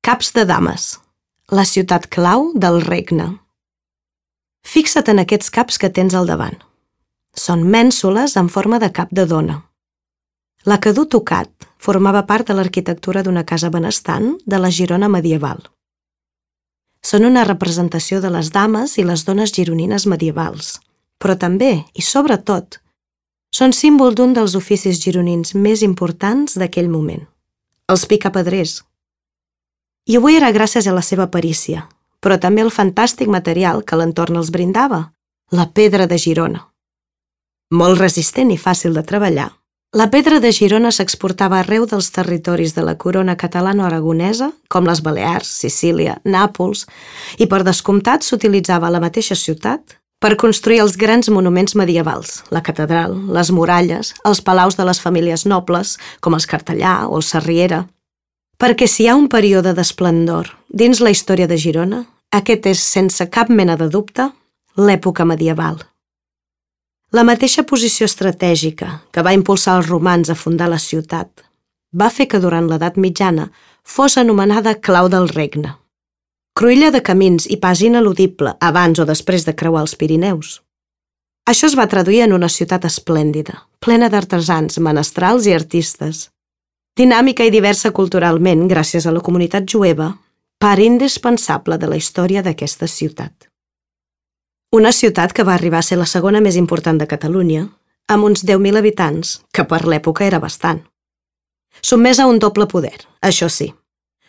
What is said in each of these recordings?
Caps de Dames, la ciutat clau del regne. Fixa't en aquests caps que tens al davant. Són mènsules en forma de cap de dona. L'aqueduc tocat formava part de l'arquitectura d'una casa benestant de la Girona medieval. Són una representació de les dames i les dones gironines medievals, però també, i sobretot, són símbol d'un dels oficis gironins més importants d'aquell moment, els picapedrers. I avui era gràcies a la seva perícia, però també al fantàstic material que l'entorn els brindava, la pedra de Girona. Molt resistent i fàcil de treballar, la pedra de Girona s'exportava arreu dels territoris de la corona catalano-aragonesa, com les Balears, Sicília, Nàpols, i per descomptat s'utilitzava a la mateixa ciutat per construir els grans monuments medievals, la catedral, les muralles, els palaus de les famílies nobles, com els Cartellà o els Sarriera. Perquè si hi ha un període d'esplendor dins la història de Girona, aquest és, sense cap mena de dubte, l'època medieval. La mateixa posició estratègica que va impulsar els romans a fundar la ciutat va fer que durant l'edat mitjana fos anomenada clau del regne. Cruïlla de camins i pas ineludible abans o després de creuar els Pirineus. Això es va traduir en una ciutat esplèndida, plena d'artesans, menestrals i artistes. Dinàmica i diversa culturalment gràcies a la comunitat jueva, part indispensable de la història d'aquesta ciutat. Una ciutat que va arribar a ser la segona més important de Catalunya, amb uns 10.000 habitants, que per l'època era bastant. Sotmesa a un doble poder, això sí.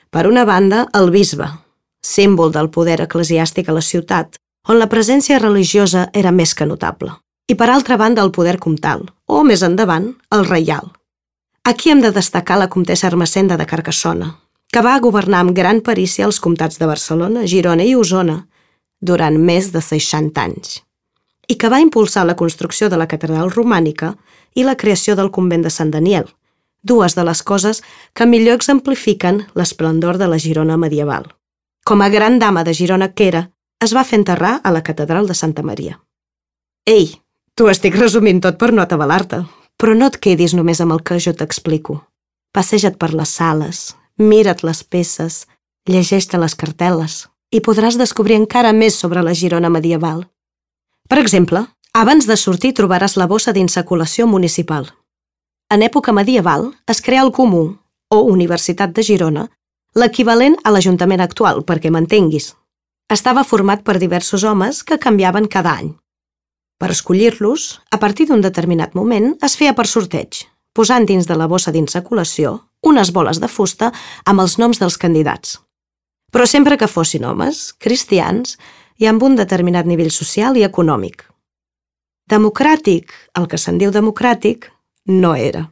Per una banda, el bisbe, símbol del poder eclesiàstic a la ciutat, on la presència religiosa era més que notable. I per altra banda, el poder comtal, o més endavant, el reial. Aquí hem de destacar la comtessa Ermessenda de Carcassona, que va governar amb gran perícia els comtats de Barcelona, Girona i Osona durant més de 60 anys, i que va impulsar la construcció de la catedral romànica i la creació del convent de Sant Daniel, dues de les coses que millor exemplifiquen l'esplendor de la Girona medieval. Com a gran dama de Girona que era, es va fer enterrar a la catedral de Santa Maria. Ei, t'ho estic resumint tot per no atabalar-te, però no et quedis només amb el que jo t'explico. Passeja't per les sales, mira't les peces, llegeix-te les cartel·les i podràs descobrir encara més sobre la Girona medieval. Per exemple, abans de sortir trobaràs la bossa d'insaculació municipal. En època medieval es crea el Comú, o Universitat de Girona, l'equivalent a l'Ajuntament actual, perquè m'entenguis. Estava format per diversos homes que canviaven cada any. Per escollir-los, a partir d'un determinat moment, es feia per sorteig, posant dins de la bossa d'insaculació unes boles de fusta amb els noms dels candidats. Però sempre que fossin homes, cristians i amb un determinat nivell social i econòmic. Democràtic, el que se'n diu democràtic, no era.